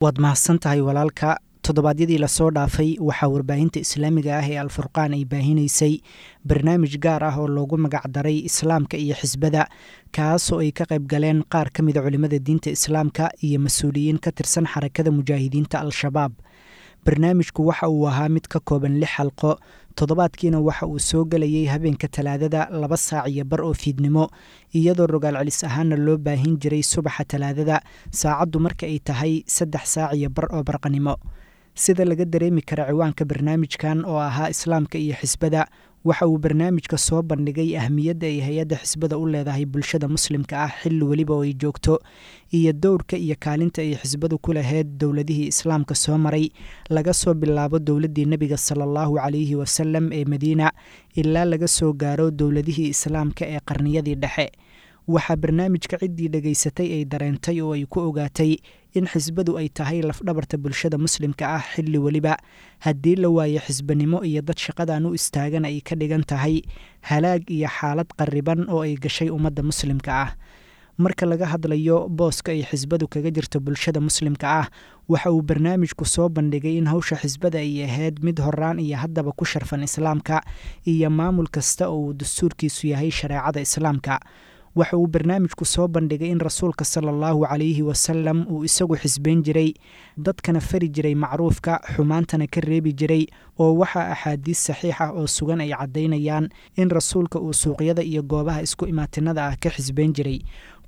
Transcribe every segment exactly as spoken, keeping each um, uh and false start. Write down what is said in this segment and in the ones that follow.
Waad mahadsantahay walaalka. Toddobaadyadii lasoo dhaafay waxaa warbaahinta islaamiga ah ee Alfurqaan ay baahinaysay barnaamij gaar ah oo loogu magacdaray Islaamka iyo Xisbada, kaasoo ay ka qayb galeen qaar ka mida culimmada diinta islaamka iyo mas-uuliyiin ka tirsan Xarakada Mujaahidiinta Al-Shabaab. Barnaamijku waxa uu ahaa mid ka kooban lix xalqo, toddobaadkiina waxa uu soo gelayay habeenka Talaadada laba saac iyo bar oo fiidnimo, iyadoo rogaal celis ahaana loo baahin jiray subaxa Talaadada saacaddu marka ay tahay saddex saac iyo bar oo barqanimo. Sida laga dareemi kara ciwaanka barnaamijkan oo ahaa Islaamka iyo Xisbada, waxa uu barnaamijka soo bandhigay ahmiyadda ay hay-adda xisbada u leedahay bulshada muslimka ah xilli weliba oo ay joogto, iyo dowrka iyo kaalinta ay xisbadu ku lahayd dowladihii islaamka soo maray, laga soo bilaabo dowladdii nebiga sala allahu calayhi wasalam ee Madiina ilaa laga soo gaaro dowladihii islaamka ee qarniyadii dhexe. Waxaa barnaamijka ciddii dhegaysatay ay dareentay oo ay ku ogaatay in xisbadu ay tahay lafdhabarta bulshada muslimka ah xilli weliba. Haddii la waayo xisbanimo iyo dad shaqadan u istaagan, ay ka dhigan tahay halaag iyo xaalad qarriban oo ay gashay ummadda muslimka ah. Marka laga hadlayo booska ay xisbadu kaga jirto bulshada muslimka ah, waxa uu barnaamijku soo bandhigay in hawsha xisbada ay ahayd mid horaan iyo haddaba ku sharfan islaamka iyo maamul kasta oo uu dastuurkiisu yahay shareecada islaamka. Waxa uu barnaamijku soo bandhigay in rasuulka sala allahu calayhi wasalam uu isagu xisbeyn jiray, dadkana fari jiray macruufka, xumaantana ka reebi jiray, oo waxaa axaadiis saxiix ah oo sugan ay caddaynayaan in rasuulka uu suuqyada iyo goobaha isku imaatinada ah ka xisbeyn jiray.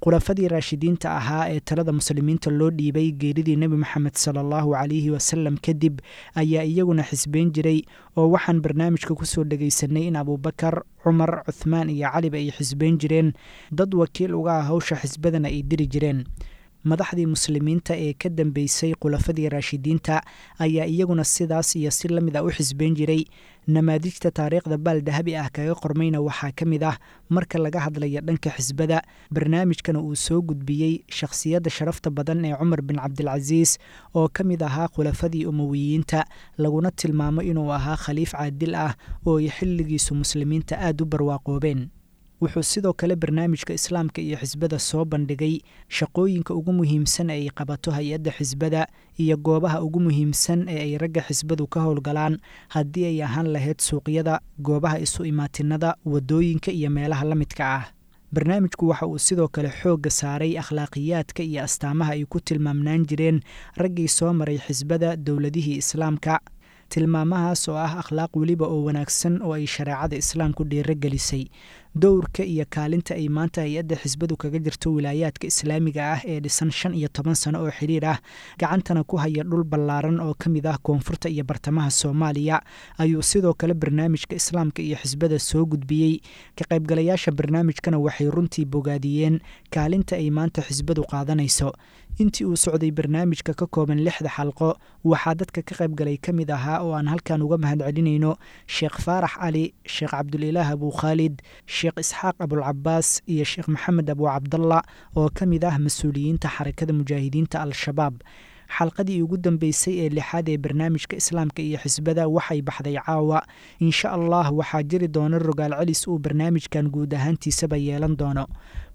Khulafadii raashidiinta ahaa ee talada muslimiinta loo dhiibay geeridii nebi Moxamed sala allahu calayhi wasalam kadib ayaa iyaguna xisbeyn jiray, oo waxaan barnaamijka kusoo dhegaysanay in Abuubakar, Cumar, Cuthmaan iyo Caliba ay xisbeyn jireen, dad wakiil uga ah hawsha xisbadana ay diri jireen. Madaxdii muslimiinta ee ka dambeysay khulafadii raashidiinta ayaa iyaguna sidaas iyo si la mid ah u xisbeyn jiray. Namaadijta taariikhda baal dahabi ah kaga qormayna waxaa ka mid ah, marka laga hadlayo dhanka xisbada, barnaamijkana uu soo gudbiyey shakhsiyadda sharafta badan ee Cumar bin Cabdilcasiis oo ka mid ahaa khulafadii Umowiyiinta, laguna tilmaamo inuu ahaa khaliif caadil ah oo ay xilligiisu muslimiinta aad u barwaaqoobeen. Wuxuu sidoo kale barnaamijka Islaamka iyo Xisbada soo bandhigay shaqooyinka ugu muhiimsan ee ay qabato hay-adda xisbada iyo goobaha ugu muhiimsan ee ay ragga xisbadu ka howlgalaan, haddii ay ahaan lahayd suuqyada, goobaha isu imaatinada, waddooyinka iyo meelaha la midka ah. Barnaamijku waxa uu sidoo kale xoogga saaray akhlaaqiyaadka iyo astaamaha ay ku tilmaamnaan jireen raggii soo maray xisbada dowladihii islaamka, tilmaamahaas oo ah akhlaaq weliba oo wanaagsan oo ay shareecada islaamku dhiiro gelisay. Dowrka iyo kaalinta ay maanta hay-adda xisbadu kaga jirto wilaayaadka islaamiga ah ee dhisan shan iyo toban sano oo xidhiir ah, gacantana ku haya dhul ballaaran oo ka mid ah koonfurta iyo bartamaha Soomaaliya, ayuu sidoo kale barnaamijka Islaamka iyo Xisbada soo gudbiyey. Ka qaybgalayaasha barnaamijkana waxay runtii bogaadiyeen kaalinta ay maanta xisbadu qaadanayso. Intii uu socday barnaamijka ka kooban lixda xalqo, waxaa dadka ka qaybgalay ka mid ahaa oo aan halkan uga mahadcelinayno Sheekh Faarax Cali, Sheekh Cabdulilaah Abukhaalid, Sheekh Isxaaq Abulcabaas iyo Sheekh Maxamed Abu Cabdalla oo ka mid ah mas-uuliyiinta Xarakada Mujaahidiinta Al-Shabaab. Xalqadii ugu dambeysay ee lixaad ee barnaamijka Islaamka iyo Xisbada waxay baxday caawa. Insha Allah waxaa jiri doona rogaal celis uu barnaamijkan guud ahaantiisaba yeelan doono.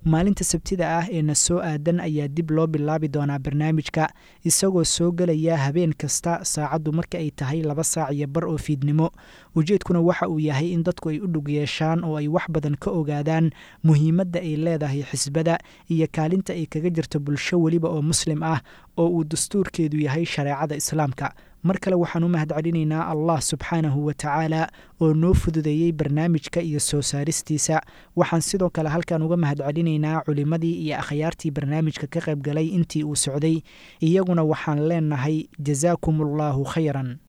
Maalinta Sabtida ah ee na soo aadan ayaa dib loo bilaabi doonaa barnaamijka, isagoo soo gelaya habeen kasta saacaddu marka ay tahay laba saac iyo bar oo fiidnimo. Ujeedkuna waxa uu yahay in dadku ay u dhug yeeshaan oo ay wax badan ka ogaadaan muhiimadda ay leedahay xisbada iyo kaalinta ay kaga jirto bulsho weliba oo muslim ah oo uu dastuurkeedu yahay shareecada islaamka. Mar kale waxaan u mahad celinaynaa Allah subxaanahu wa tacaala oo noo fududeeyey barnaamijka iyo soo saaristiisa. Waxaan sidoo kale halkan uga mahad celinaynaa culimmadii iyo akhyaartii barnaamijka ka qayb galay intii uu socday. Iyaguna waxaan leenahay jasaakum allahu khayran.